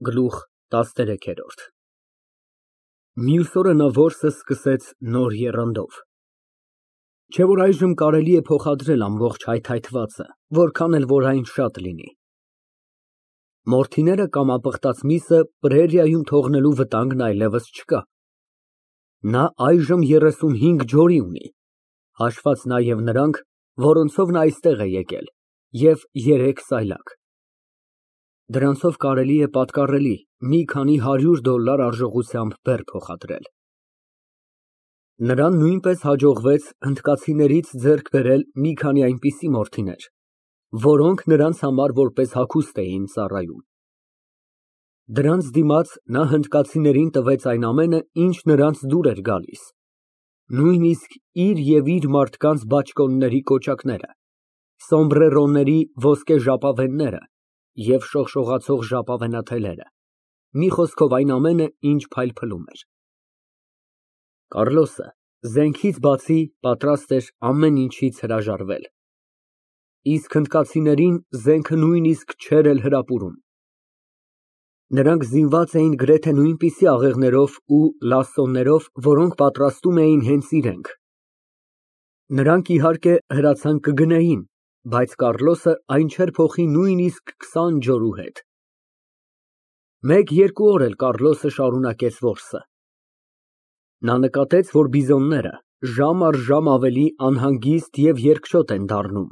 Գլուխ տասներեքերորդ Մյուս օրը նա որսը սկսեց նոր եռանդով։ Չէ՞ որ այժմ կարելի է փոխադրել ամբողջ հայթայթվածը, որքան էլ որ այն շատ լինի։ Մորթիները կամապղտած միսը պրերիայում թողնելու վտանգն այլևս չկա։ Նա այժմ 35 ջորի ունի, հաշված նաև նրանք, որոնցով նա այստեղ է եկել, և 3 սայլակ։ Դրանցով կարելի է պատկառելի մի քանի $100 արժողությամբ բեռ փոխադրել։ Նրան նույնպես հաջողվեց հնդկացիներից ձեռք բերել մի քանի այնպիսի մորթիներ, որոնք նրանց համար որպես հագուստ էին ծառայում։ Դրանց դիմաց նա հնդկացիներին տվեց այն ամենը, ինչ նրանց դուր էր գալիս, նույնիսկ իր և իր մարդկանց բաճկոնների կոճակները, սոմբրերոների ոսկե ժապավենները և շողշողացող ժապավենաթելերը, մի խոսքով այն ամենը, ինչ փայլփլում էր։ Կարլոսը զենքից բացի պատրաստ էր ամեն ինչից հրաժարվել, իսկ հնդկացիներին զենքը նույնիսկ չէր էլ հրապուրում։ Նրանք զինված էին գրեթե նույնպիսի աղեղներով ու լասոներով, որոնք պատրաստում էին հենց իրենք։ Նրանք, իհարկե, հրացան կգնեին, բայց Կարլոսը այն չէր փոխի նույնիսկ 20 ջորու հետ։ 1-2 օր էլ Կարլոսը շարունակեց որսը։ Նա նկատեց, որ բիզոնները ժամ առ ժամ ավելի անհանգիստ և երկչոտ են դառնում։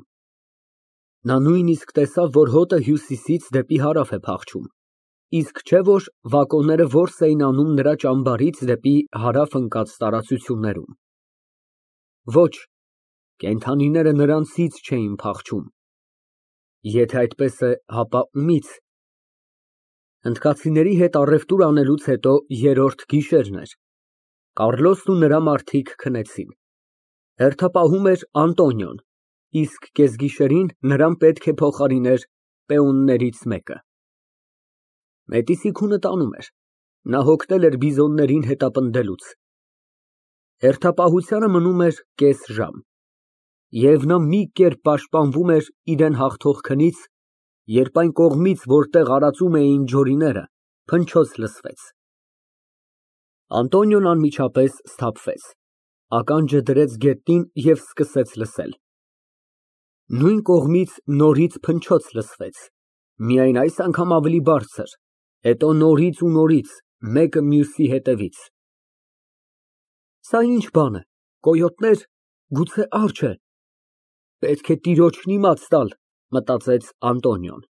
Նա նույնիսկ տեսավ, որ հոտը հյուսիսից դեպի հարավ է փախչում, իսկ չէ որ վակոնները որս էին անում նրա ճամբարից դեպի հարավ ընկած տարածություններում։ Ոչ, կենդանիները նրանցից չէին փախչում։ Եթե այդպես է, հապա ումի՞ց։ Հնդկացիների հետ առևտուր անելուց հետո երրորդ գիշերն էր։ Կարլոսն ու նրա մարդիկ քնեցին։ Հերթապահում էր Անտոնիոն, իսկ կեսգիշերին նրան պետք է փոխարիներ պեոններից մեկը։ Մետիսի քունը տանում էր, նա հոգնել էր բիզոններին հետապնդելուց։ Հերթապահությանը մնում էր կես ժամ, և նա մի կերպ պաշտպանվում էր իրան հաղթող քնից, երբ այն կողմից, որտեղ արածում էին ջորիները, փնչոց լսվեց։ Անտոնիոն անմիջապես սթափվեց, ականջը դրեց գետնին և սկսեց լսել։ Նույն կողմից նորից փնչոց լսվեց, միայն այս անգամ ավելի բարձր, հետո նորից ու նորից, մեկը մյուսի հետևից։ Սա ինչ բան է, կոյոտներ, գուցե արջ է։ Պետք է տիրոջն իմաց տալ, մտածեց Անտոնիոն։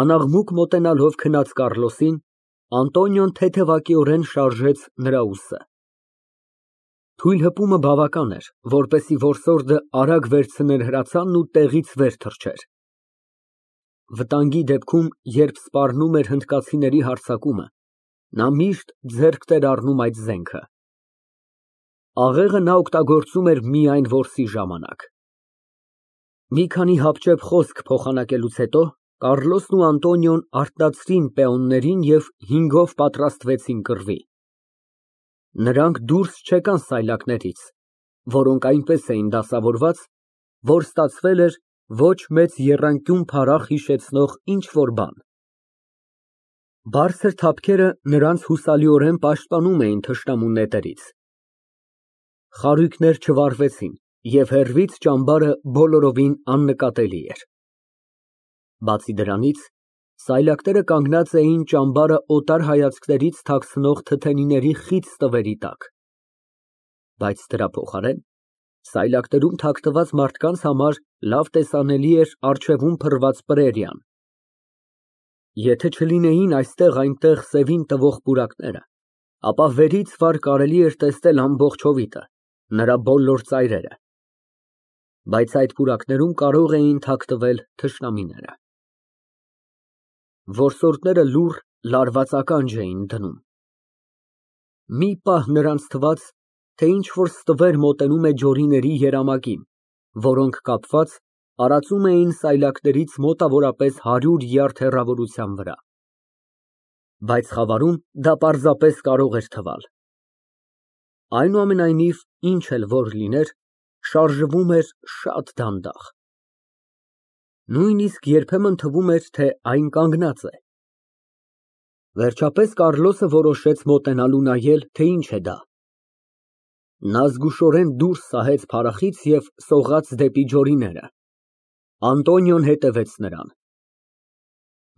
Անաղմուկ մոտենալով քնած Կարլոսին, Անտոնիոն թեթևակիորեն շարժեց նրա ուսը։ Թույլ հպումը բավական էր, որպեսզի որսորդը արագ վերցներ հրացանն ու տեղից վեր թռչեր։ Վտանգի դեպքում, երբ սպառնում էր հնդկացիների հարձակումը, նա միշտ ձեռքտ էր առնում այդ զենքը։ Աղեղը նա օգտագործում էր միայն որսի ժամանակ։ Մի քանի հապճեպ խոսք փոխանակելուց հետո Կարլոսն ու Անտոնիոն արթնացրին պեոններին և 5-ով պատրաստվեցին կռվի։ Նրանք դուրս չեկան սայլակներից, որոնք այնպես էին դասավորված, որ ստացվել էր ոչ մեծ եռանկյուն փարախ հիշեցնող ինչ֊որ բան։ Բարձր թափքերը նրանց հուսալիորեն պաշտպանում էին թշնամու նետերից։ Խարույկներ չվառվեցին, և հեռվից ճամբարը բոլորովին աննկատելի էր։ Բացի դրանից, սայլակները կանգնած էին ճամբարը օտար հայացքներից թաքցնող թթենիների խիտ ստվերի տակ։ Բայց դրա փոխարեն, սայլակներում թաքնված մարդկանց համար լավ տեսանելի էր առջևում փռված պրերիան։ Եթե չլինեին այստեղ֊այնտեղ սևին տվող պուրակները, ապա վերից վար կարելի էր տեսնել ամբողջ հովիտը, նրա բոլոր ծայրերը։ Բայց այդ պուրակներում կարող էին թաքնվել թշնամիները։ Որսորդները լուռ, լարված ականջ էին դնում։ Մի պահ նրանց թվաց, թե ինչ֊որ ստվեր մոտենում է ջորիների երամակին, որոնք կապված տարածում էին սայլակներից մոտավորապես 100 յարդ հեռավորության վրա։ Բայց խավարում դա պարզապես կարող էր թվալ։ Այնուամենայնիվ, ինչ էլ որ լիներ, շարժվում էր շատ դանդաղ։ Նույնիսկ երբեմն թվում էր, թե այն կանգնած է։ Վերջապես Կառլոսը որոշեց մոտենալու նայել, թե ինչ է դա։ Նա զգուշորեն դուրս սահեց փարախից և սողաց դեպի ջորիները։ Անտոնիոն հետևեց նրան։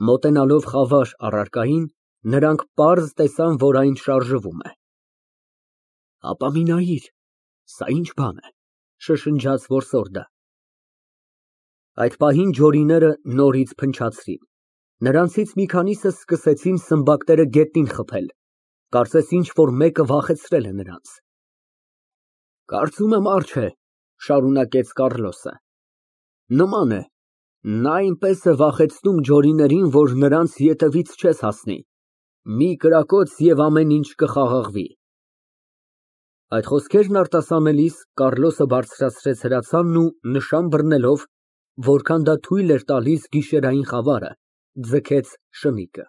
Մոտենալով խավար առարկային, նրանք պարզ տեսան, որ այն շարժվում է։ Ապա մի նայիր, սա ինչ բան է, շշնջաց որսորդը։ Այդ պահին ջորիները նորից փնչացրին։ Նրանցից մի քանիսը սկսեցին սմբակները գետնին խփել, կարծես ինչ֊որ մեկը վախեցրել է նրանց։ Կարծում եմ արջ է, շարունակեց Կառլոսը։ Նման է, նա այնպես է վախեցնում ջորիներին, որ նրանց ետևից չես հասնի։ Մի կրակոց և ամեն ինչ կխաղաղվի։ Այդ խոսքերն արտասանելիս Կառլոսը բարձրացրեց հրացանն ու նշան բռնելով, որքան դա թույլ էր տալիս գիշերային խավարը, ձգեց շնիկը։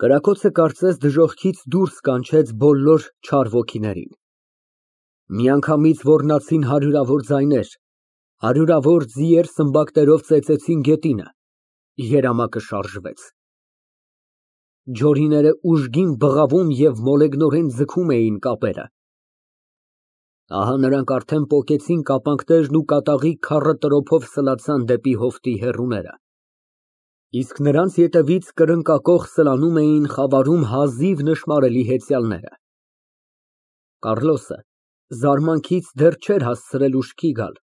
Կրակոցը կարծես դժոխքից դուրս կանչեց բոլոր չար ոգիներին։ Միանգամից ոռնացին հարյուրավոր ձայներ, հարյուրավոր ձիեր սմբակներով ծեծեցին գետինը, երամակը շարժվեց։ Ջորիները ուժգին բղավում և մոլեգնորեն ձգում էին կապերը։ Ահա նրանք արդեն պոկեցին կապանքներն ու կատաղի քառը տրոփով սլացան դեպի հովտի հեռուները։ Իսկ նրանց ետևից կրնկակոխ սլանում էին խավարում հազիվ նշմարելի հեծյալները։ Կառլոսը զարմանքից դեռ չէր հասցրել ուշքի գալ,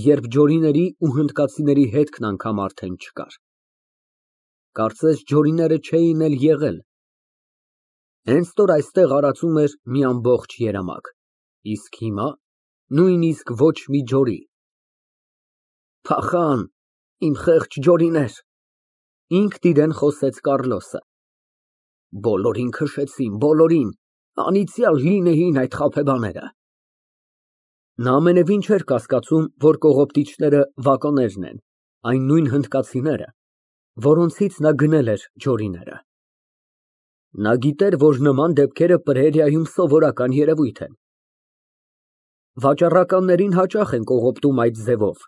երբ ջորիների ու հնդկացիների հետքն անգամ արդեն չկար։ Կարծես ջորիները չէին էլ եղել։ Հենց որ այստեղ արածում էր մի ամբողջ երամակ, իսկ հիմա նույնիսկ ոչ մի ջորի։ Փախան, իմ խեղճ ջորիներ, ինքն իրեն խոսեց Կառլոսը։ Բոլորին քշեցին, բոլորին, անիծյալ լինեին այդ խաբեբաները։ Նա ամենևին չէր կասկածում, որ կողոպտիչները վակոներն են, այն նույն հնդկացիները, որոնցից նա գնել էր ջորիները։ Նա գիտեր, որ նման դեպքերը Պրերիայում սովորական երևույթ են։ Վաճառականներին հաճախ են կողոպտում այդ ձևով,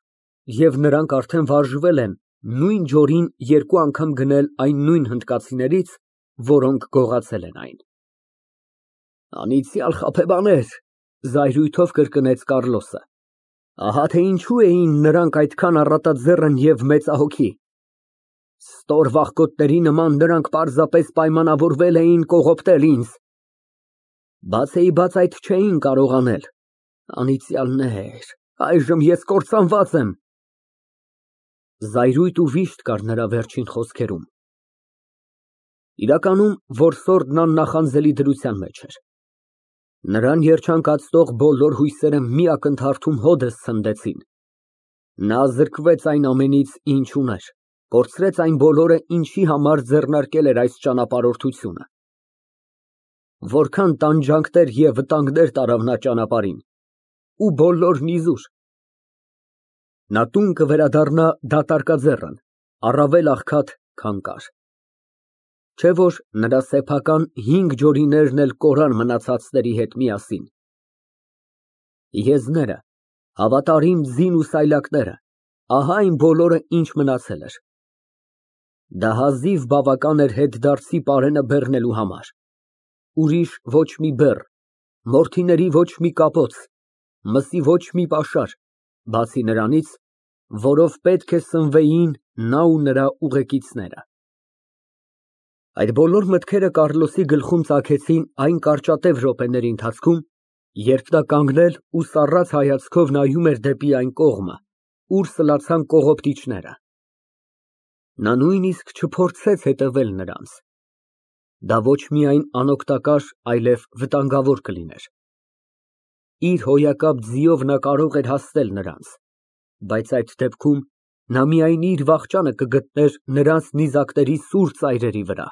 և նրանք արդեն վարժվել են նույն ջորին երկու անգամ գնել այն նույն հնդկացիներից, որոնք գողացել են այն։ Անիծյալ խաբեբաներ, զայրույթով կրկնեց Կառլոսը։ Ահա թե ինչու էին նրանք այդքան առատաձեռն և մեծահոգի։ Ստոր վախկոտների նման նրանք պարզապես պայմանավորվել էին կողոպտել ինձ։ Բացեիբաց այդ չէին կարող անել։ Անիծյալներ, այժմ ես կործանված եմ։ Զայրույթ ու վիշտ կար նրա վերջին խոսքերում։ Իրականում որսորդն աննախանձելի դրության մեջ էր։ Նրան երջանկացնող բոլոր հույսերը մի ակնթարթում հօդս ցնդեցին։ Նա զրկվեց այն ամենից, ինչ ուներ, կորցրեց այն բոլորը, ինչի համար ձեռնարկել էր այս ճանապարհորդությունը։ Որքան տանջանքներ և վտանգներ տարավ նա ճանապարհին, ու բոլորն իզուր։ Նա տուն կվերադառնա դատարկաձեռն, առավել աղքատ, քան կար։ Չէ՞ որ նրա սեփական 5 ջորիներն էլ կորան մնացածների հետ միասին։ Եզները, հավատարիմ ձին ու սայլակները, ահա այն բոլորը, ինչ մնացել էր։ Դա հազիվ բավական էր հետդարձի պարենը բեռնելու համար։ Ուրիշ ոչ մի բեռ, մորթիների ոչ մի կապոց, մսի ոչ մի պաշար, բացի նրանից, որով պետք է սնվեին նա ու նրա ուղեկիցները։ Այդ բոլոր մտքերը Կառլոսի գլխում ծագեցին այն կարճատև րոպեների ընթացքում, երբ նա կանգնել ու սառած հայացքով նայում էր դեպի այն կողմը, ուր սլացան կողոպտիչները։ Նա նույնիսկ չփորձեց հետևել նրանց։ Դա ոչ միայն անօգտակար, այլև վտանգավոր կլիներ։ Իր հոյակապ ձիով նա կարող էր հասնել նրանց, բայց այդ դեպքում նա միայն իր վախճանը կգտներ նրանց նիզակների սուր ծայրերի վրա։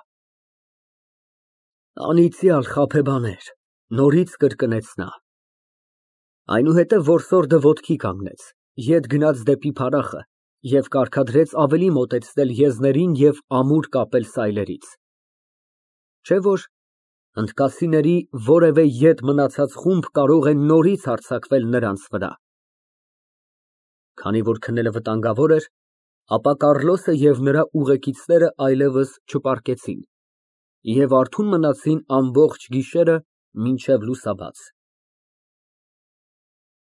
Անիծյալ խաբեբաներ, նորից կրկնեց նա։ Այնուհետև որսորդը ոտքի կանգնեց, ետ գնաց դեպի փարախը և կարգադրեց ավելի մոտեցնել եզներին և ամուր կապել սայլերից։ Չէ՞ որ հնդկացիների որևէ ետ մնացած խումբ կարող է նորից հարձակվել նրանց վրա։ Քանի որ քնելը վտանգավոր էր, ապա Կառլոսը և նրա ուղեկիցները այլևս չպառկեցին։ Եվ արթուն մնացին ամբողջ գիշերը մինչև լուսաբաց։